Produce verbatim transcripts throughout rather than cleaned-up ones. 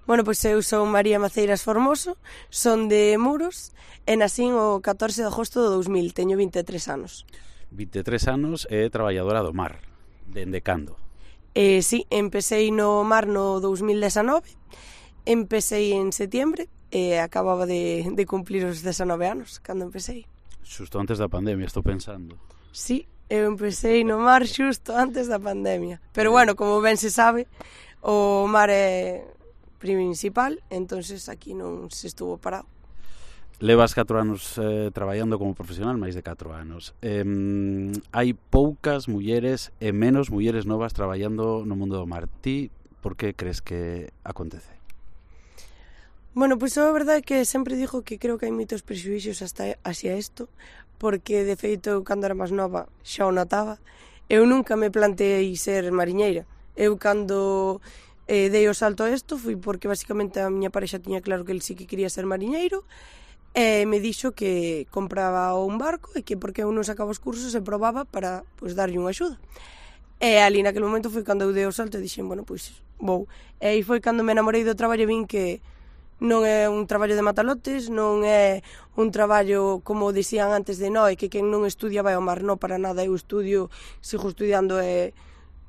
Bueno, pois eu son María Maceiras Formoso, son de Muros, e nacín o catorce de agosto do dous mil, teño vinte e tres anos. vinte e tres anos e traballadora do mar, dende cando? Eh, sí, empecé no mar no dous mil dezenove, empecé en setiembre e acababa de, de cumplir os dezenove anos cando empecé. Xusto antes da pandemia, estou pensando. Sí, eu empecé no mar xusto antes da pandemia. Pero bueno, como ben se sabe, o mar é principal, entonces aquí non se estuvo parado. Levas catro anos eh, traballando como profesional, máis de catro anos. Eh, hai poucas mulleres e menos mulleres novas traballando no mundo do mar. Ti, por que crees que acontece? Bueno, pois a verdade é que sempre digo que creo que hai moitos prexuízos hasta hacia isto, porque de feito eu cando era máis nova xa o notaba. Eu nunca me planteei ser mariñeira. Eu cando eh, dei o salto a isto foi porque basicamente a miña parexa tiña claro que el sí que quería ser mariñeiro, e me dixo que compraba un barco e que porque eu non sacaba os cursos e probaba para pois, darlle unha axuda. E ali naquele momento foi cando eu dei o salto e dixen, bueno, pois vou. E aí foi cando me enamorei do traballo e vin que non é un traballo de matalotes, non é un traballo como dicían antes de noi, que quen non estudia vai ao mar, non para nada, eu estudio, sigo estudiando e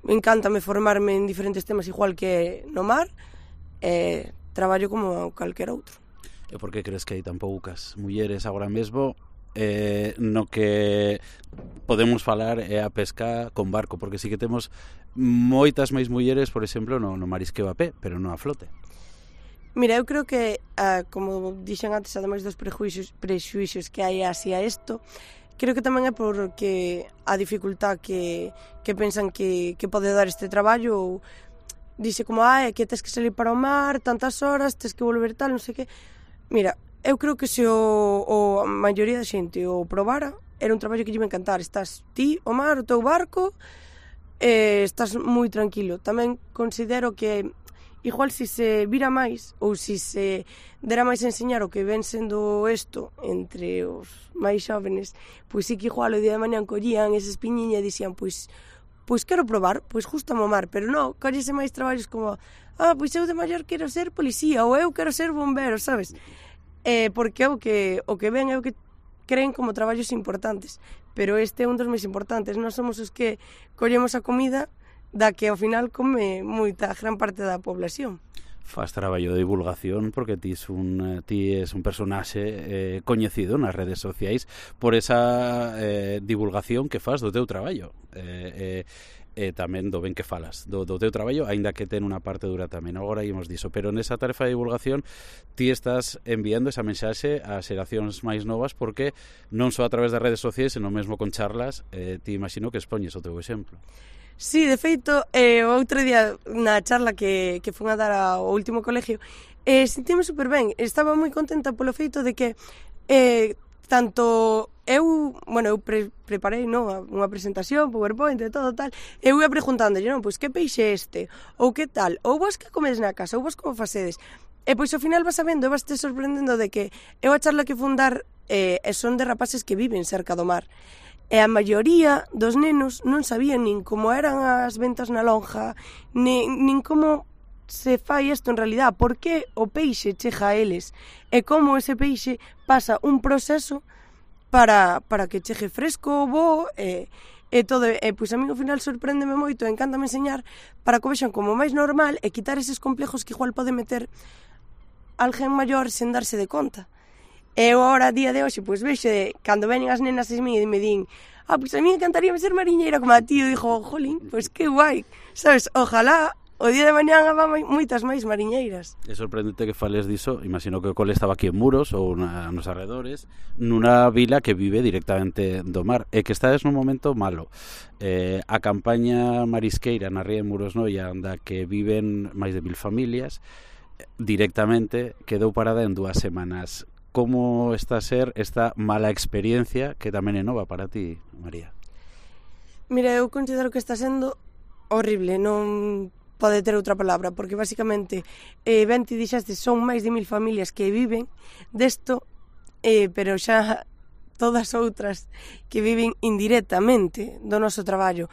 encántame formarme en diferentes temas igual que no mar, e traballo como calquer outro. E por que crees que hai tan poucas mulleres agora mesmo eh, no que podemos falar é a pesca con barco? Porque sí que temos moitas máis mulleres, por exemplo, no, no marisqueo a pé, pero non a flote. Mira, eu creo que, ah, como dixen antes, ademais dos prejuicios, prexuicios que hai hacia isto, creo que tamén é porque a dificultad que, que pensan que, que pode dar este traballo, ou dixe como, ah, é que tes que salir para o mar tantas horas, tes que volver tal, non sei que. Mira, eu creo que se o, o a maioría da xente o probara, era un traballo que lle iba a encantar. Estás ti, o mar, o teu barco, e estás moi tranquilo. Tamén considero que igual se se vira máis ou se se dera máis a enseñar o que ven sendo isto entre os máis xóvenes, pois sí que igual o día de mañan collían esa espiñiña e dixían, pois pois quero probar, pois justo a mamar, pero non, collese máis traballos como ah, pois eu de maior quero ser policía ou eu quero ser bombero, sabes? Eh, porque o que o que ven é o que creen como traballos importantes, pero este é un dos máis importantes. Nós somos os que collemos a comida da que ao final come moita gran parte da población. Faz traballo de divulgación porque ti es un, ti es un personaxe eh, coñecido nas redes sociais por esa eh, divulgación que faz do teu traballo. Eh, eh, e tamén do ben que falas do, do teu traballo, aínda que ten unha parte dura tamén, agora ímos diso, pero nesa tarefa de divulgación ti estás enviando esa mensaxe ás xeracións máis novas porque non só a través das redes sociais, senón mesmo con charlas, eh, ti imagino que expoñes o teu exemplo. Sí, de feito, eh, o outro día na charla que, que fun a dar ao último colegio, eh, sentime super ben, estaba moi contenta polo feito de que eh, tanto eu, bueno, eu pre preparei, non, unha presentación, PowerPoint e todo tal, eu ia preguntando, non, pois que peixe este, ou que tal, ou vos que comedes na casa, ou vos como facedes, e pois ao final vas sabendo, e vas te sorprendendo de que eu a charla que fun dar eh, son de rapaces que viven cerca do mar, e a maioría dos nenos non sabían nin como eran as ventas na lonja, nin, nin como se fai isto en realidad, por que o peixe chega a eles, e como ese peixe pasa un proceso para, para que chegue fresco, bo, e, e todo, e pois a mí ao final sorpréndeme moito, encántame enseñar para que o vexan como máis normal e quitar eses complejos que igual pode meter alguén maior sen darse de conta. E eu agora, a día de hoxe, pois vexo, cando venen as nenas e me din, ah, pois a mí encantaría ser mariñeira como a ti, eu dixo, jolín, pois que guai, sabes, ojalá o día de mañán haba moitas máis mariñeiras. É sorprendente que fales diso, imagino que o cole estaba aquí en Muros ou na, nos arredores, nunha vila que vive directamente do mar e que estades nun momento malo. Eh, a campaña marisqueira na ría de Muros Noia, anda que viven máis de mil familias, directamente quedou parada en dúas semanas. Como está a ser esta mala experiencia que tamén é nova para ti, María? Mira, eu considero que está sendo horrible, non pode ter outra palabra, porque basicamente eh, ben ti dixaste, son máis de mil familias que viven desto, eh, pero xa todas outras que viven indirectamente do noso traballo.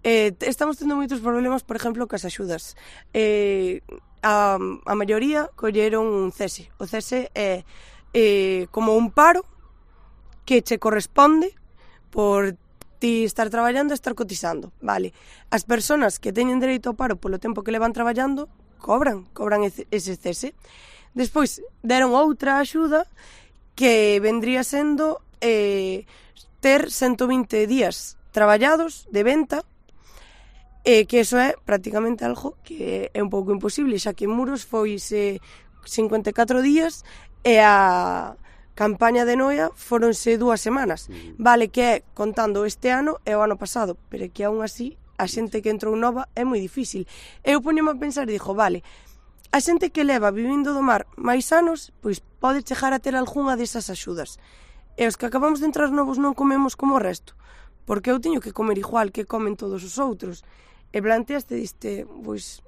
Eh, estamos tendo moitos problemas, por exemplo, cas axudas. Eh, a, a maioría colleron un cese. O cese é eh, como un paro que che corresponde por ti estar traballando e estar cotizando, vale. As persoas que teñen dereito ao paro polo tempo que levan traballando cobran, cobran ese cese. Despois deron outra axuda que vendría sendo eh, ter ciento vinte días traballados de venta, e que eso é prácticamente algo que é un pouco imposible, xa que en Muros foise cincuenta e catro días e a campaña de Noia foronse dúas semanas. Vale que é contando este ano e o ano pasado, pero que aún así a xente que entrou nova é moi difícil. Eu poñome a pensar e dixo, vale, a xente que leva vivindo do mar máis anos, pois pode chegar a ter algunha desas axudas. E os que acabamos de entrar novos non comemos como o resto, porque eu teño que comer igual que comen todos os outros. E planteaste, diste, pois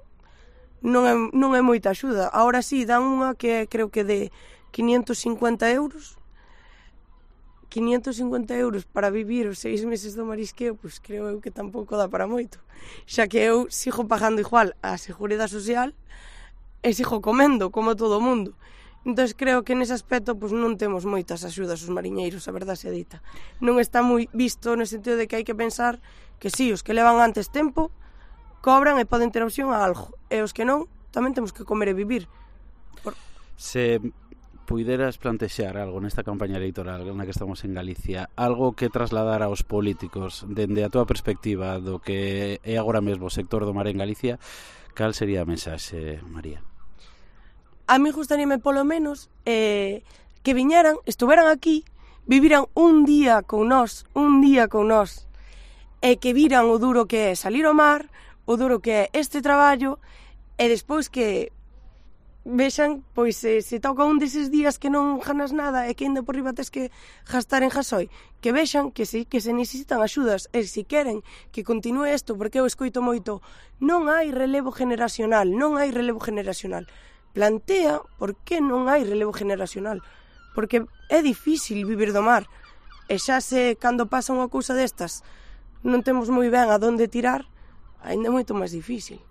non é, non é moita axuda. Ahora sí, dan unha que creo que de quinientos cincuenta euros. quinientos cincuenta euros para vivir os seis meses do marisqueo, pois creo eu que tampouco dá para moito. Xa que eu sigo pagando igual a Seguridade Social e sigo comendo como todo o mundo. Entón creo que nese aspecto pois, non temos moitas axudas os mariñeiros, a verdade se dita. Non está moi visto no sentido de que hai que pensar que sí, os que levan antes tempo cobran e poden ter opción a algo. E os que non, tamén temos que comer e vivir. Por... Se puideras plantexar algo nesta campaña electoral na que estamos en Galicia, algo que trasladar aos políticos dende a túa perspectiva do que é agora mesmo o sector do mar en Galicia, cal sería a mensaxe, María? A mí gustaríame polo menos eh, que viñeran, estuveran aquí, viviran un día con nós, un día con nós, e que viran o duro que é salir ao mar, o duro que é este traballo, e despois que vexan, pois, se, se toca un deses días que non ganas nada e que ainda por riba tes que gastar en gasoi, que vexan que sí, que se necesitan axudas, e se queren que continue isto, porque eu escoito moito, non hai relevo generacional, non hai relevo generacional. Plantea por que non hai relevo generacional, porque é difícil vivir do mar, e xa se, cando pasa unha cousa destas, non temos moi ben a donde tirar, ainda é moito máis difícil.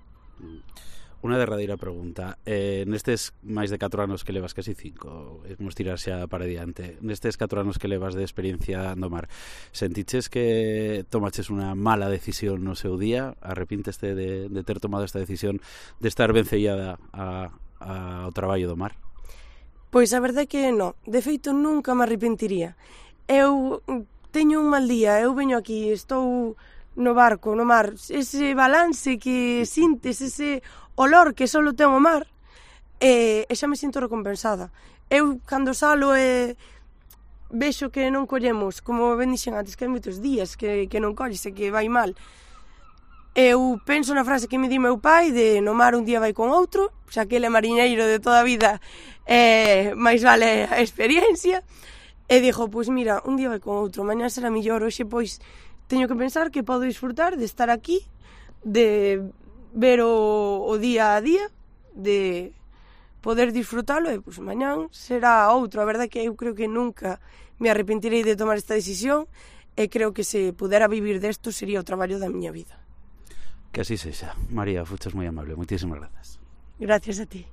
Unha derradeira pregunta. Eh, nestes máis de catro anos que levas, casi cinco, vamos tirar xa para diante, nestes catro anos que levas de experiencia no mar, sentiches que tomaches unha mala decisión no seu día? Arrepínteste de, de ter tomado esta decisión de estar vencellada a, a, ao traballo do mar? Pois a verdade é que non. De feito, nunca me arrepentiría. Eu teño un mal día, eu veño aquí, estou no barco, no mar, ese balance que sintes, ese olor que só ten o mar, e, e xa me sinto recompensada. Eu, cando salo e vexo que non collemos, como ben dixen antes, que hai moitos días que, que non colles e que vai mal, eu penso na frase que me di meu pai de no mar un día vai con outro, xa que ele é mariñeiro de toda a vida, e máis vale a experiencia, e dixo, pois mira, un día vai con outro, mañá será millor, hoxe pois teño que pensar que podo disfrutar de estar aquí, de ver o, o día a día, de poder disfrutalo, e pois mañán será outro. A verdade é que eu creo que nunca me arrepentirei de tomar esta decisión, e creo que se pudera vivir desto sería o traballo da miña vida. Que así sexa. María, fuches moi amable. Moitísimas grazas. Gracias a ti.